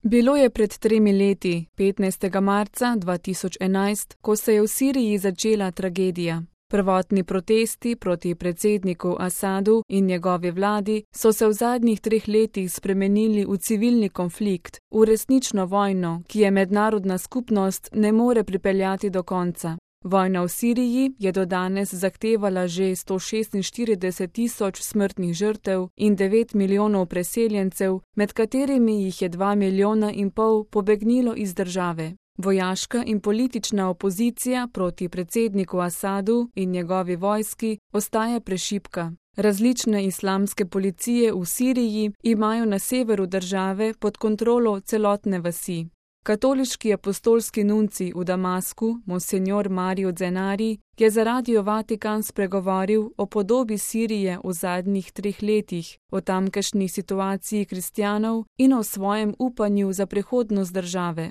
Bilo je pred 3 leti, 15. marca 2011, ko se je v Siriji začela tragedija. Prvotni protesti proti predsedniku Asadu in njegovi vladi so se v zadnjih 3 letih spremenili v civilni konflikt, v resnično vojno, ki je mednarodna skupnost ne more pripeljati do konca. Vojna v Siriji je do danes zahtevala že 146.000 smrtnih žrtev in 9 milijonov preseljencev, med katerimi jih je 2,5 milijona pobegnilo iz države. Vojaška in politična opozicija proti predsedniku Asadu in njegovi vojski ostaja prešibka. Različne islamske policije v Siriji imajo na severu države pod kontrolo celotne vasi. Katoliški apostolski nuncij v Damasku, monsenjor Mario Zenari, je za Radio Vatikan spregovoril o podobi Sirije v zadnjih 3 letih, o tamkajšnji situaciji kristjanov in o svojem upanju za prihodnost države.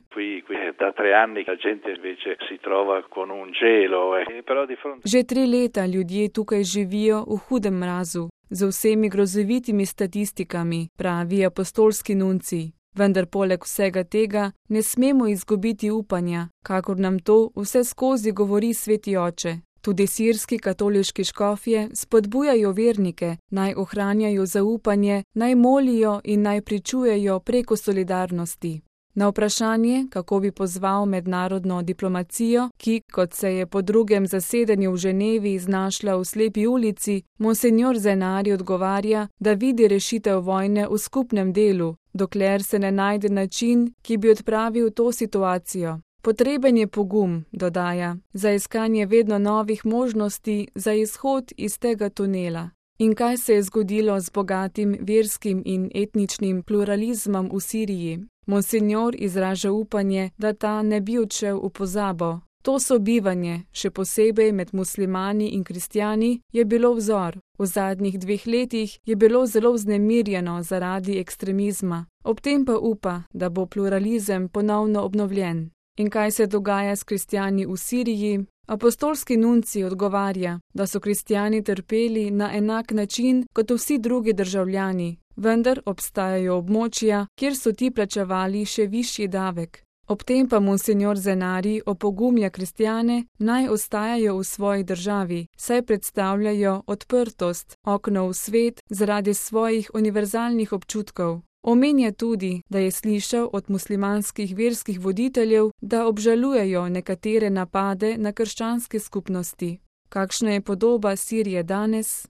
Že 3 leta ljudje tukaj živijo v hudem mrazu, z vsemi grozovitimi statistikami, pravi apostolski nuncij. Vendar poleg vsega tega ne smemo izgubiti upanja, kakor nam to vse skozi govori Sveti Oče. Tudi sirski katoliški škofje spodbujajo vernike, naj ohranjajo zaupanje, naj molijo in naj pričujejo preko solidarnosti. Na vprašanje, kako bi pozval mednarodno diplomacijo, ki, kot se je po drugem zasedanju v Ženevi znašla v slepi ulici, monsenjor Zenari odgovarja, da vidi rešitev vojne v skupnem delu, dokler se ne najde način, ki bi odpravil to situacijo. Potreben je pogum, dodaja, za iskanje vedno novih možnosti za izhod iz tega tunela. In kaj se je zgodilo z bogatim verskim in etničnim pluralizmom v Siriji? Monsenjor izraža upanje, da ta ne bi odšel v pozabo. To sobivanje, še posebej med muslimani in kristjani, je bilo vzor. V zadnjih 2 letih je bilo zelo vznemirjeno zaradi ekstremizma. Ob tem pa upa, da bo pluralizem ponovno obnovljen. In kaj se dogaja s kristjani v Siriji? Apostolski nuncij odgovarja, da so kristjani trpeli na enak način kot vsi drugi državljani, vendar obstajajo območja, kjer so ti plačevali še višji davek. Ob tem pa monsenjor Zenari opogumlja kristjane, naj ostajajo v svoji državi, saj predstavljajo odprtost, okno v svet zaradi svojih univerzalnih občutkov. Omenja tudi, da je slišal od muslimanskih verskih voditeljev, da obžalujejo nekatere napade na krščanske skupnosti. Kakšna je podoba Sirije danes?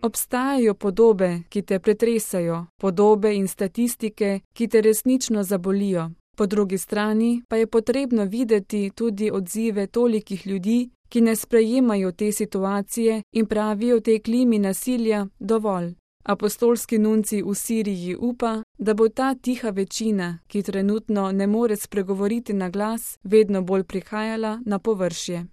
Obstajajo podobe, ki te pretresajo, podobe in statistike, ki te resnično zabolijo. Po drugi strani pa je potrebno videti tudi odzive tolikih ljudi, ki ne sprejemajo te situacije in pravijo tej klimi nasilja dovolj. Apostolski nuncij v Siriji upa, da bo ta tiha večina, ki trenutno ne more spregovoriti na glas, vedno bolj prihajala na površje.